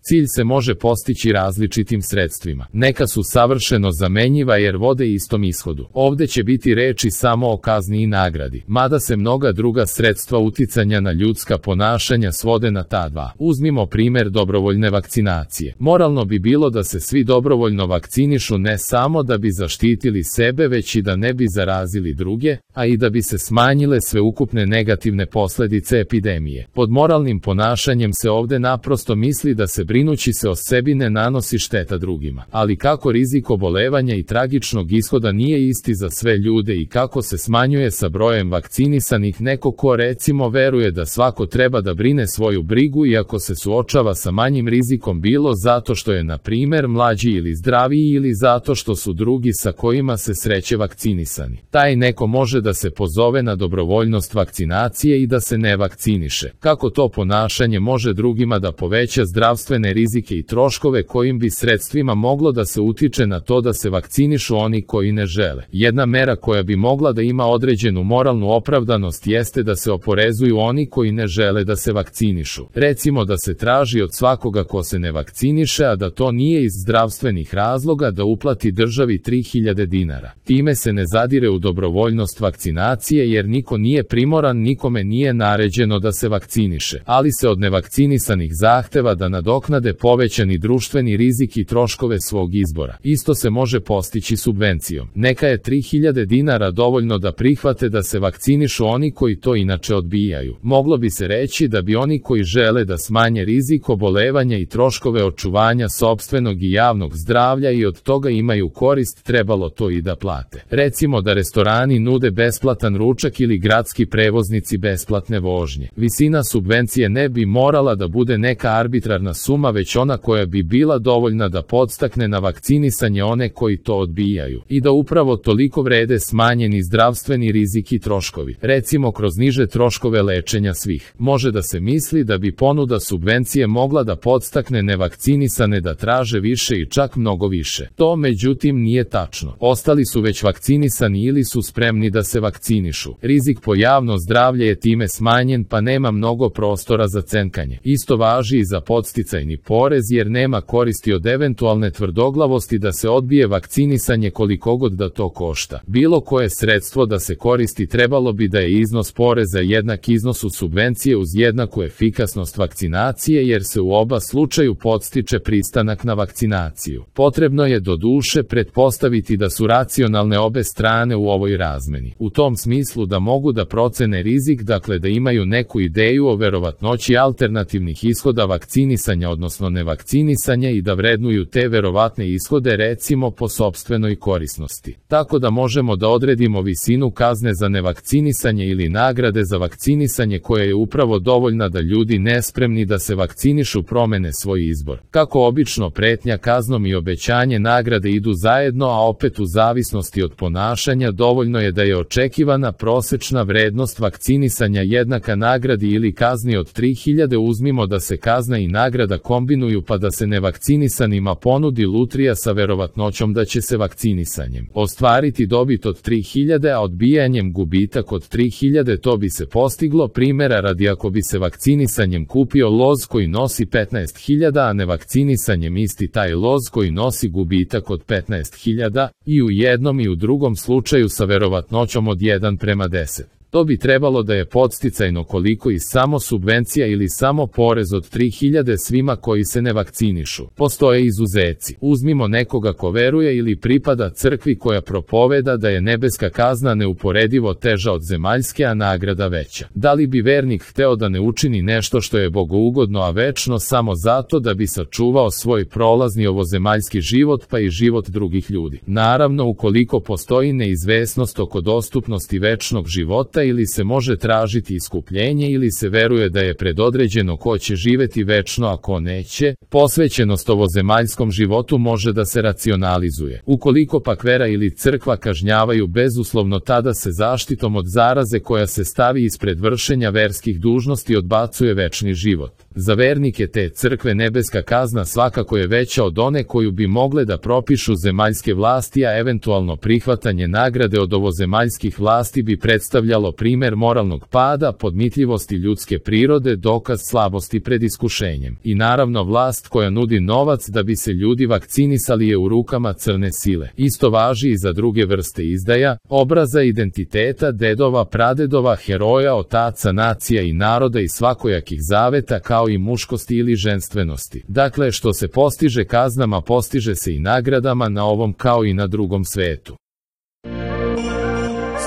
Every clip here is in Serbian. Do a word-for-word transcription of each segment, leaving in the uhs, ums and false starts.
Cilj se može postići različitim sredstvima. Neka su savršeno zamenjiva jer vode istom ishodu. Ovde će biti reči samo o kazni i nagradi, mada se mnoga druga sredstva uticanja na ljudska ponašanja svode na ta dva. Uzmimo primer dobrovoljne vakcinacije. Moralno bi bilo da se svi dobrovoljno vakcinišu ne samo da bi zaštitili sebe, već i da ne bi zarazili druge, a i da bi se smanjile sveukupne negativne posledice epidemije. Pod moralnim ponašanjem se ovde naprosto misli da se brinući se o sebi ne nanosi šteta drugima. Ali kako rizik obolevanja i tragičnog ishoda nije isti za sve ljude i kako se smanjuje sa brojem vakcinisanih neko ko recimo veruje da svako treba da brine svoju brigu iako se suočava sa manjim rizikom bilo zato što je na primer mlađi ili zdraviji ili zato što su drugi sa kojima se sreće vakcinisani. Taj neko može da se pozove na dobrovoljnost vakcinacije i da se ne vakciniše. Kako to ponašanje može drugima da poveća zdravstvene rizike i troškove kojim bi sredstvima moglo da se utiče na to da se vakcinišu oni koji ne žele? Jedna mera koja bi mogla da ima određenu moralnu opravdanost jeste da se oporezuju oni koji ne žele da se vakcinišu. Recimo da se traži od svakoga ko se ne vakciniše, a da to nije iz zdravstvenih razloga, da uplati državi tri hiljade dinara. Time se ne zadire u dobrovoljnost vakcinacije jer niko nije primoran, nikome nije naređeno da se vakciniše, ali se od nevakcinisanih zahteva da nadoknade povećani društveni rizik i troškove svog izbora. Isto se može postići subvencijom. Neka je tri hiljade dinara dovoljno da prihvate da se vakcinišu oni koji to inače odbijaju. Moglo bi se reći da bi oni koji žele da smanje rizik obolevanja i troškove očuvanja sopstvenog i javnog zdravlja i od toga imaju korist, trebalo to i da plate. Recimo da restorani nude besplatan ručak ili gradski prevoznici besplatne vožnje. Visina subvencije ne bi morala da bude neka arbitrarna suma, već ona koja bi bila dovoljna da podstakne na vakcinisanje one koji to odbijaju i da upravo toliko vrede smanjeni zdravstveni rizik i troškovi. Recimo kroz niže troškove lečenja svih. Može da se misli da bi ponuda subvencije mogla da podstakne nevakcinisane da traže više i čak mnogo više. To međutim nije tačno. Ostali su već vakcinisani ili su spremni da se vakcinišu. Rizik po javno zdravlje je time smanjen, pa nema mnogo prostora za cenkanje. Isto važi i za podsticajni porez jer nema koristi od eventualne tvrdoglavosti da se odbije vakcinisanje koliko god da to košta. Bilo koje sredstvo da se koristi trebalo bi da je iznos poreza jednak iznosu subvencije uz jednaku efikasnost vakcinacije jer se u oba slučaju podstiče pristanak na vakcinaciju. Potrebno je do duše pretpostaviti da su racionalne obe strane u ovoj razmeni. U tom smislu da mogu da procene rizik, dakle da imaju neku ideju o verovatnoći alternativnih ishoda vakcinisanja odnosno nevakcinisanja i da vrednuju te verovatne ishode recimo po sopstvenoj korisnosti. Tako da možemo da odredimo visinu kazne za nevakcinisanje ili nagrade za vakcinisanje koja je upravo dovoljna da ljudi nespremni da se vakcinišu promene svoj izbor. Kako obično pretnja kaznom i obećanje nagrade idu zajedno, a opet u zavisnosti od ponašanja dovoljno je da je očekivana prosečna vrednost vakcinisanja jednaka nagradi ili kazni od tri hiljade. Uzmimo da se kazna i nagrada kombinuju pa da se nevakcinisanima ponudi lutrija sa verovatnoćom da će se vakcinisanjem ostvariti dobit od tri hiljade, a odbijanjem gubitak od tri hiljade. To bi se postiglo primjera radi ako bi se vakcinisanjem kupio loz koji nosi petnaest hiljada, a nevakcinisanjem isti taj loz koji nosi gubitak od petnaest hiljada, i u jednom i u drugom slučaju sa verovatnoćom od jedan prema deset. To bi trebalo da je podsticajno koliko i samo subvencija ili samo porez od tri hiljade svima koji se ne vakcinišu. Postoje izuzeci. Uzmimo nekoga ko veruje ili pripada crkvi koja propoveda da je nebeska kazna neuporedivo teža od zemaljske, a nagrada veća. Da li bi vernik hteo da ne učini nešto što je bogougodno a večno samo zato da bi sačuvao svoj prolazni ovozemaljski život pa i život drugih ljudi? Naravno, ukoliko postoji neizvesnost oko dostupnosti večnog života ili se može tražiti iskupljenje ili se veruje da je predodređeno ko će živeti večno a ko neće, posvećenost ovozemaljskom životu može da se racionalizuje. Ukoliko pak vera ili crkva kažnjavaju bezuslovno, tada se zaštitom od zaraze koja se stavi ispred vršenja verskih dužnosti odbacuje večni život. Za vernike te crkve nebeska kazna svakako je veća od one koju bi mogle da propišu zemaljske vlasti, a eventualno prihvatanje nagrade od ovozemaljskih vlasti bi predstavljalo primer moralnog pada, podmitljivosti ljudske prirode, dokaz slabosti pred iskušenjem. I naravno vlast koja nudi novac da bi se ljudi vakcinisali je u rukama crne sile. Isto važi i za druge vrste izdaja, obraza identiteta, dedova, pradedova, heroja, otaca, nacija i naroda i svakojakih zaveta, kao i muškosti ili ženstvenosti. Dakle, što se postiže kaznama, postiže se i nagradama na ovom kao i na drugom svetu.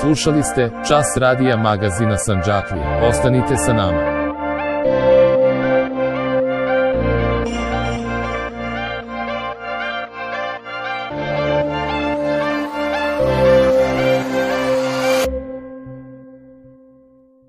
Slušali ste Čas radija magazina Sandžaklija. Ostanite sa nama.